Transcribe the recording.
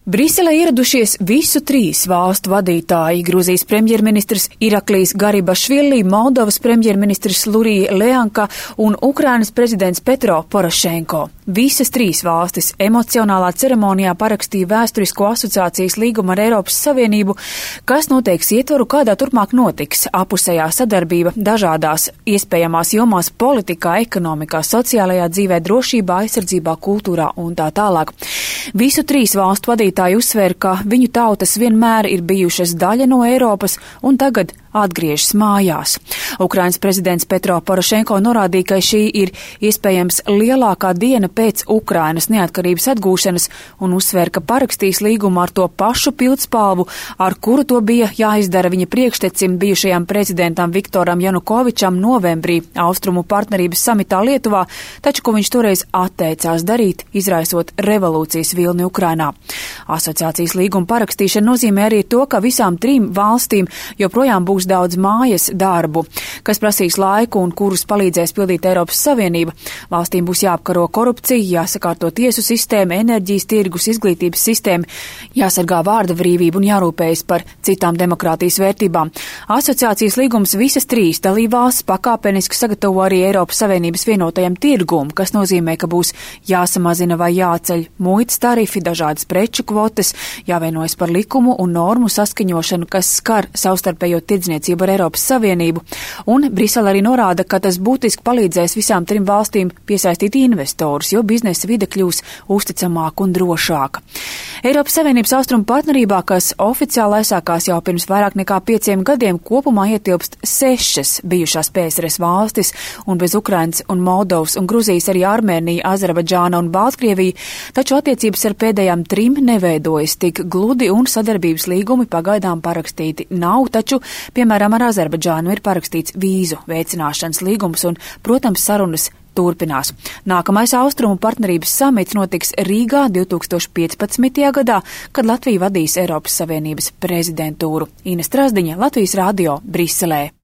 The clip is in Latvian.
Briselē ieradušies visu trīs valstu vadītāji - Gruzijas premjerministrs Iraklijs Garibašvili, Moldovas premjerministrs Lurija Leanka un Ukrainas prezidents Petro Porošenko. Visas trīs valstis emocionālā ceremonijā parakstīja vēsturisko asociācijas līgumu ar Eiropas Savienību, kas noteiks ietvaru, kādā turpmāk notiks apusējā sadarbība dažādās iespējamās jomās - politikā, ekonomikā, sociālajā dzīvē, drošībā, aizsardzībā, kultūrā un tā tālāk. Visu trīs valstu vadītāji uzsver, ka viņu tautas vienmēr ir bijušas daļa no Eiropas un tagad atgriežas mājās. Ukrainas prezidents Petro Porošenko norādīja, ka šī ir iespējams lielākā diena pēc Ukrainas neatkarības atgūšanas un uzsver, ka parakstīs līgumu ar to pašu pildspalvu, ar kuru to bija jāizdara viņa priekštecim bijušajam prezidentam Viktoram Janukovičam novembrī Austrumu partnerības samitā Lietuvā, taču ko viņš toreiz atteicās darīt, izraisot revolūcijas vilni Ukrainā. Asociācijas līguma parakstīšana nozīmē arī to, ka visām trim valstīm joprojām būs daudz mājas darbu, kas prasīs laiku un kurus palīdzēs pildīt Eiropas Savienība. Valstīm būs jāapkaro korupcija, jāsakārto tiesu sistēma, enerģijas tirgus, izglītības sistēma, jāsargā vārda brīvība un jārūpējas par citām demokrātijas vērtībām. Asociācijas līgums visas trīs dalībvalstis pakāpeniski sagatavo arī Eiropas Savienības vienotajam tirgum, kas nozīmē, ka būs jāsamazina vai jāceļ muitas tarifi, dažādas preču kvotas, jāvienojas par likumu un normu saskaņošanu, kas skar savstarpējo tirdzniecību ar Eiropas Savienību, un Brisele arī norāda, ka tas būtiski palīdzēs visām trim valstīm piesaistīt investorus, jo biznesa vide kļūs uzticamāka un drošāka. Eiropas Savienības austrumu partnerībā, kas oficiāli aizsākās jau pirms vairāk nekā 5 gadiem, kopumā ietilpst 6 bijušās PSRS valstis, un bez Ukrainas un Moldovas un Gruzijas arī Armēnija, Azerbaidžāna un Baltkrievija, taču attiecības ar pēdējām trim neveidojas tik gludi un sadarbības līgumi pagaidām parakstīti nav, taču piemēram, ar Azerbaidžānu ir parakstīts vīzu veicināšanas līgums un, protams, sarunas turpinās. Nākamais austrumu partnerības samits notiks Rīgā 2015. gadā, kad Latvija vadīs Eiropas Savienības prezidentūru. Ines Trasdiņa, Latvijas radio, Briselē.